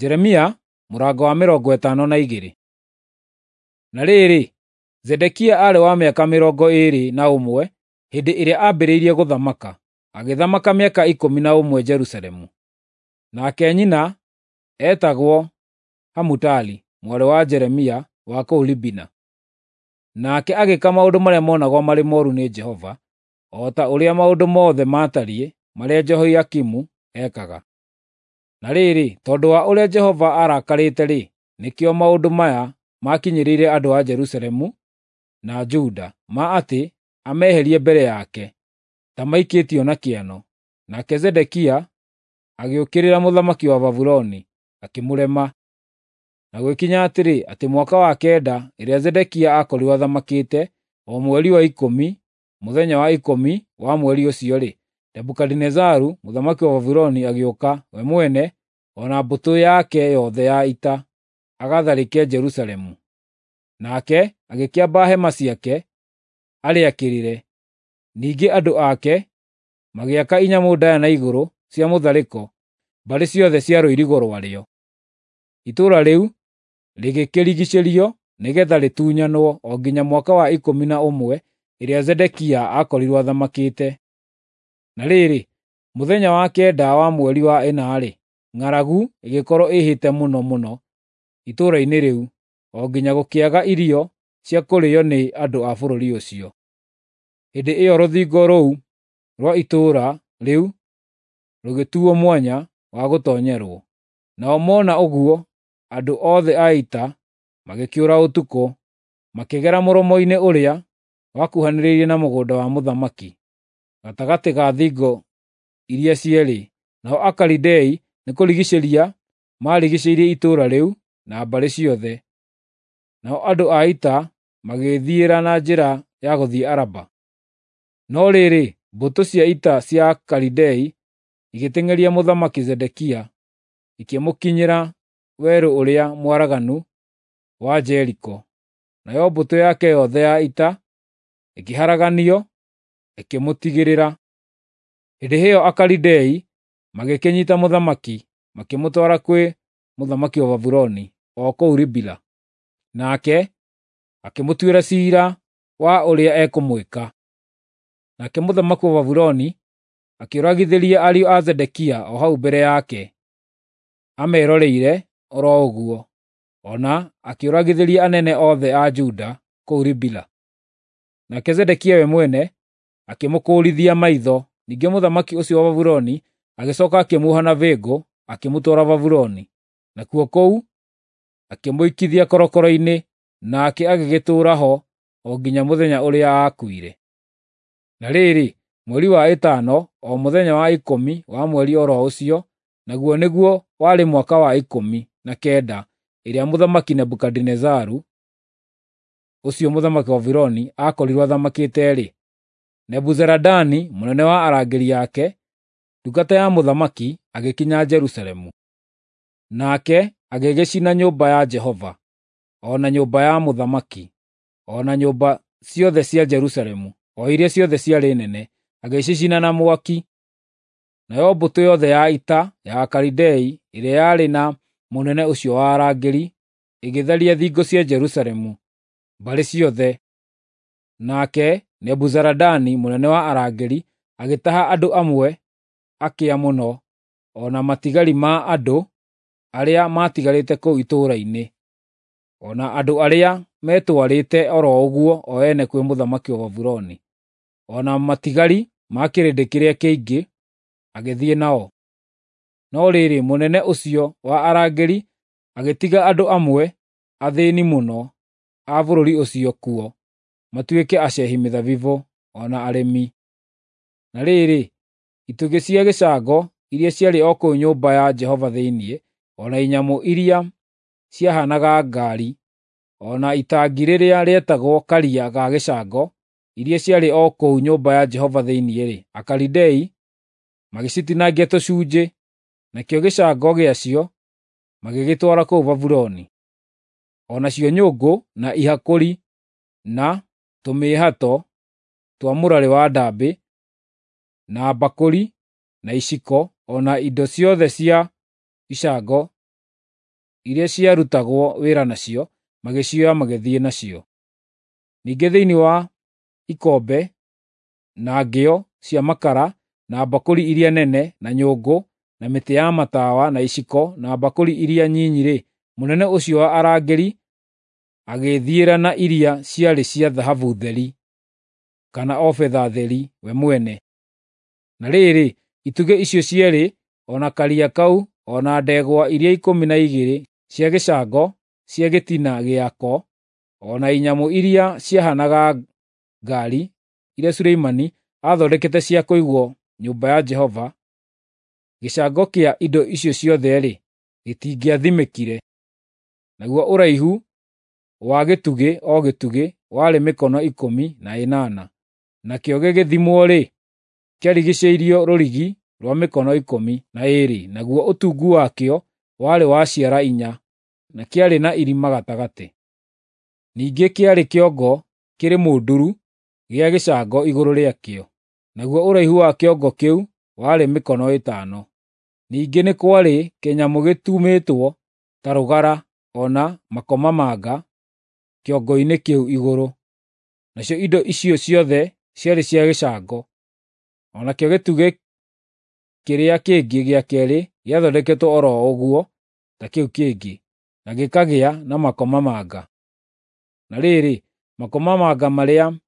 Jeremia mũrango wa 52. Na rĩrĩ, Zedekia aarĩ wa mĩaka 21 hĩndĩ ĩrĩa aambĩrĩirie gũthamaka, agĩthamaka mĩaka 11 Jerusalemu. Nake nyina eetagwo Hamutali mwarĩ wa Jeremia wa kũu Libina. Nake agĩĩka maũndũ marĩa monagwo marĩ mooru nĩ Jehova, o ta ũrĩa maũndũ mothe maatariĩ marĩa Jehoiakimu ekaga. Na rĩrĩ, tondũ wa ũrĩa Jehova aarakarĩte-rĩ, nĩkĩo maũndũ maya maakinyĩrĩire andũ a Jerusalemu na Juda, ma atĩ ameherie mbere yake, ta maikĩtio na kĩano. Nake Zedekia agĩũkĩrĩra mũthamaki wa Babuloni, akĩmũrema. Na gũgĩkinya atĩrĩ, atĩ mwaka wa kenda ĩrĩa Zedekia aakorirwo athamakĩte, o mweri wa 10, mũthenya wa 10 wa mweri ũcio-rĩ, Nebukadinezaru mũthamaki wa Babuloni agĩũka we mwene o na mbũtũ yake yothe ya ita agatharĩke Jerusalemu. Nake agĩkĩamba hema ciake arĩakĩrĩre. Ningĩ andũ ake magĩaka inyamũ ndaaya na igũrũ cia mũtharĩko mbarĩ ciothe cia rũirigo rwarĩo. Itũũra rĩu rĩgĩkĩrigiicĩrio nĩgeetha rĩtunyanwo o nginya mwaka wa 11 ĩrĩa Zedekia aakorirwo athamakĩte. Na rĩrĩ, mũthenya wa 9 wa mweri wa 4-rĩ, ng'aragu ĩgĩkorwo ĩhĩte mũno mũno itũũra-inĩ rĩu, o nginya gũkĩaga irio cia kũrĩĩo nĩ andũ a bũrũri ũcio. Hĩndĩ ĩyo rũthingo rũu rwa itũũra rĩu rũgĩtuo mwanya wa gũtoonyerwo. Nao mona ũguo, andũ othe a ita magĩkĩũra ũtukũ, makĩgera mũromo-inĩ ũrĩa wakuhanĩrĩirie na mũgũnda wa mũthamaki, gatagatĩ ga thingo iria cierĩ. Nao Akalidei nĩkũrigiicĩria maarigiicĩirie itũũra rĩu na mbarĩ ciothe. Nao andũ a ita magĩĩthiĩra na njĩra ya gũthiĩ Araba. No rĩrĩ, mbũtũ cia ita cia Akalidei igĩteng'eria Mũthamaki Zedekia, ikĩmũkinyĩra werũ ũrĩa mwaraganu wa Jeriko. Nayo mbũtũ yake yothe ya ita ĩkĩharaganio, ĩkĩmũtigĩrĩra. Hĩndĩ ĩyo Akalidei magĩkĩnyiita mũthamaki, makĩmũtwara kwĩ mũthamaki wa Babuloni o kũu Ribila. Nake akĩmũtuĩra ciira wa ũrĩa ekũmwĩka. Nake mũthamaki wa Babuloni akĩũragithĩria ariũ a Zedekia o hau mbere yake, ameroreire o ro ũguo, o na akĩũragithĩria anene othe a Juda kũu Ribila. Nake Zedekia we mwene akĩmũkũũrithia maitho. Ningĩ mũthamaki ũcio wa Babuloni agĩcooka akĩmuoha na bĩngũ akĩmũtwara Babuloni. Nakuo kũu akĩmũikithia korokoro-inĩ, nake agĩgĩtũũra ho o nginya mũthenya ũrĩa aakuire. Na rĩrĩ, mweri wa 5, o mũthenya wa 10 wa mweri o ro ũcio, naguo nĩguo warĩ mwaka wa 19 ĩrĩa Mũthamaki Nebukadinezaru, ũcio mũthamaki wa Babuloni, aakorirwo athamakĩte-rĩ, Nebuzaradani mũnene wa arangĩri ake, ndungata ya mũthamaki, agĩkinya Jerusalemu. Nake agĩgĩcina nyũmba ya Jehova, o na nyũmba ya mũthamaki, o na nyũmba ciothe cia Jerusalemu, o iria ciothe ciarĩ nene, agĩcicina na mwaki. Nayo mbũtũ yothe ya ita ya Akalidei ĩrĩa yarĩ na mũnene ũcio wa arangĩri ĩgĩtharia thingo cia Jerusalemu mbarĩ ciothe. Nake Nebuzaradani mũnene wa arangĩri agĩtaha andũ amwe akĩa mũno, o na matigari ma andũ arĩa maatigarĩte kũu itũũra-inĩ, o na andũ arĩa meetwarĩte o ro ũguo o ene kwĩ mũthamaki wa Babuloni, o na matigari ma kĩrĩndĩ kĩrĩa kĩingĩ agĩthiĩ nao. No rĩrĩ, mũnene ũcio wa arangĩri agĩtiga andũ amwe athĩĩni mũno a bũrũri ũcio kuo matuĩke acehi mĩthabibũ o na arĩmi. Na rĩrĩ, itugĩ cia gĩcango iria ciarĩ o kũu nyũmba ya Jehova thĩinĩ, o na inyamũ iria ciahaanaga ngaari, o na itangi rĩrĩa rĩetagwo Karia ga gĩcango, iria ciarĩ o kũu nyũmba ya Jehova thĩinĩ-rĩ, Akalidei magĩcitinangia tũcunjĩ, nakĩo gĩcango gĩacio magĩgĩtwara kũu Babuloni. O nacio nyũngũ, na ihakũri, na tũmĩĩhato twa mũrarĩ wa ndambĩ, na mbakũri, na iciko, o na indo ciothe cia icango iria ciarutagwo wĩra nacio, magĩcioya magĩthiĩ nacio. Ningĩ thĩinĩ wa ikombe, na ngĩo cia makara, na mbakũri iria nene, na nyũngũ, na mĩtĩ ya matawa, na iciko, na mbakũri iria nyinyi-rĩ, mũnene ũcio wa arangĩri agĩĩthiĩra na iria ciarĩ cia thahabu theri, kana o betha theri we mwene. Na rĩrĩ, itugĩ icio cierĩ, o na Karia kau, o na ndegwa iria 12 cia gĩcango cia gĩtina gĩako, o na inyamũ iria ciahaanaga ngaari iria Suleimani aathondekete cia kũigwo nyũmba ya Jehova, gĩcango kĩa indo icio ciothe-rĩ, gĩtingĩathimĩkire. Naguo ũraihu wa gĩtugĩ o gĩtugĩ warĩ mĩkono 18, nakĩo gĩgĩthimwo-rĩ, kĩarigiicĩirio rũrigi rwa mĩkono 12, naguo ũtungu wakĩo warĩ wa ciara 4, na kĩarĩ na irima gatagatĩ. Ningĩ kĩarĩ kĩongo kĩrĩ mũnduru gĩa gĩcango igũrũ rĩakĩo, naguo ũraihu wa kĩongo kĩu warĩ mĩkono 5. Ningĩ nĩ kwarĩ kĩnyamũ gĩtumĩtwo ta rũgara o na makomamanga kĩongo-inĩ kĩu igũrũ. Nacio indo icio ciothe ciarĩ cia gĩcango. O nakĩo gĩtugĩ kĩrĩa kĩngĩ gĩa keerĩ gĩathondeketwo o ro ũguo ta kĩu kĩngĩ, na gĩkagĩa na makomamanga. Na rĩrĩ, makomamanga marĩa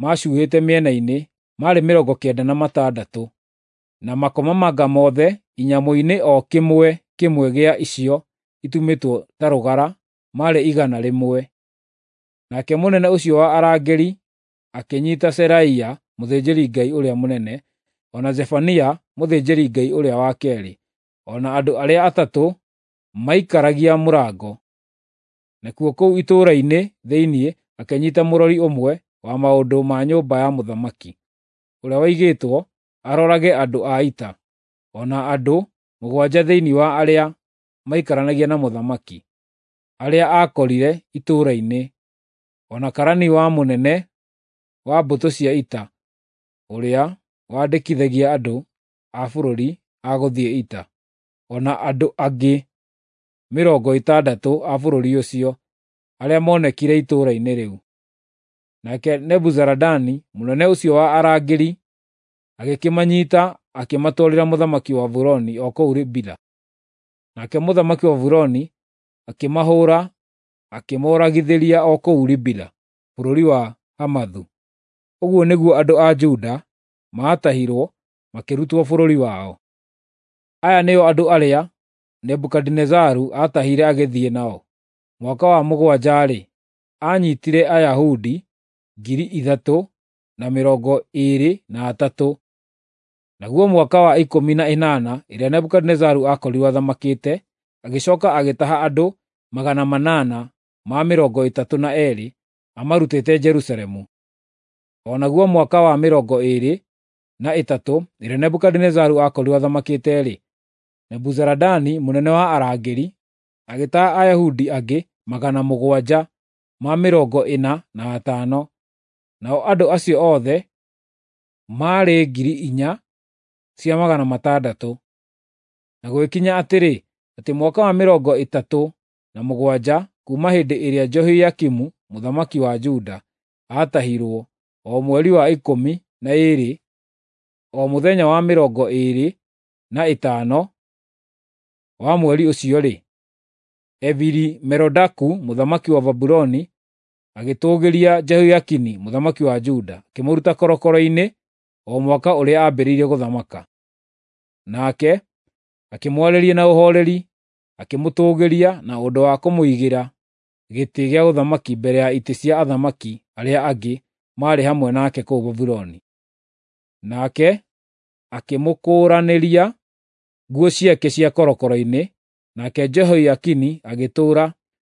maacuhĩte mĩena-inĩ maarĩ 96, na makomamanga mothe inyamũ-inĩ o kĩmwe kĩmwe gĩa icio itumĩtwo ta rũgara maarĩ 100. Nake mũnene ũcio wa arangĩri akĩnyiita Seraia mũthĩnjĩri-Ngai ũrĩa mũnene, o na Zefania mũthĩnjĩri-Ngai ũrĩa wa keerĩ, o na andũ arĩa atatũ maikaragia mũrango. Nakuo kũu itũũra-inĩ thĩinĩ akĩnyiita mũrori ũmwe wa maũndũ ma nyũmba ya mũthamaki, ũrĩa waigĩtwo arorage andũ a ita, o na andũ 7 thĩinĩ wa arĩa maikaranagia na mũthamaki, arĩa aakorire itũũra-inĩ, o na karani wa mũnene wa mbũtũ cia ita, ũrĩa wandĩkithagia andũ a bũrũri a gũthiĩ ita, o na andũ angĩ 60 a bũrũri ũcio, arĩa moonekire itũũra-inĩ rĩu. Nake Nebuzaradani mũnene ũcio wa arangĩri agĩkĩmanyiita akĩmatwarĩra mũthamaki wa Babuloni o kũu Ribila. Nake mũthamaki wa Babuloni akĩmahũũra akĩmooragithĩria o kũu Ribila, bũrũri wa Hamathu. Ũguo nĩguo andũ a Juda maatahirwo makĩrutwo bũrũri wao. Aya nĩo andũ arĩa Nebukadinezaru aatahire agĩthiĩ nao. Mwaka wa 7-rĩ, aanyiitire Ayahudi 3,023. Naguo mwaka wa 18 ĩrĩa Nebukadinezaru aakorirwo athamakĩte, agĩcooka agĩtaha andũ 832 amarutĩte Jerusalemu. O naguo mwaka wa 23 ĩrĩa Nebukadinezaru aakorirwo athamakĩte-rĩ, Nebuzaradani mũnene wa arangĩri agĩtaha Ayahudi angĩ 745, nao andũ acio othe maarĩ 4,600. Na gũgĩkinya atĩrĩ, atĩ mwaka wa 37 kuuma hĩndĩ ĩrĩa Jehoiakimu mũthamaki wa Juda aatahirwo, o mweri wa 12, o mũthenya wa 25 wa mweri ũcio-rĩ, Evili-Merodaku mũthamaki wa Babuloni agĩtũũgĩria Jehoiakini mũthamaki wa Juda, akĩmũruta korokoro-inĩ o mwaka ũrĩa aambĩrĩirie gũthamaka. Nake akĩmwarĩria na ũhooreri, akĩmũtũũgĩria na ũndũ wa kũmũigĩra gĩtĩ gĩa ũthamaki mbere ya itĩ cia athamaki arĩa angĩ maarĩ hamwe nake kũu Babuloni. Nake akĩmũkũũranĩria nguo ciake cia korokoro-inĩ, nake Jehoiakini agĩtũũra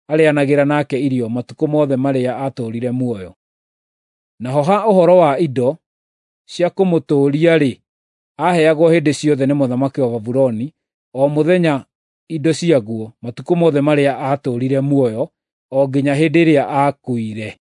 arĩĩanagĩra nake irio matukũ mothe marĩa aatũũrire muoyo. Naho ha ũhoro wa indo cia kũmũtũũria-rĩ, aaheagwo hĩndĩ ciothe nĩ mũthamaki wa Babuloni o mũthenya indo ciaguo matukũ mothe marĩa aatũũrire muoyo o nginya hĩndĩ ĩrĩa aakuire.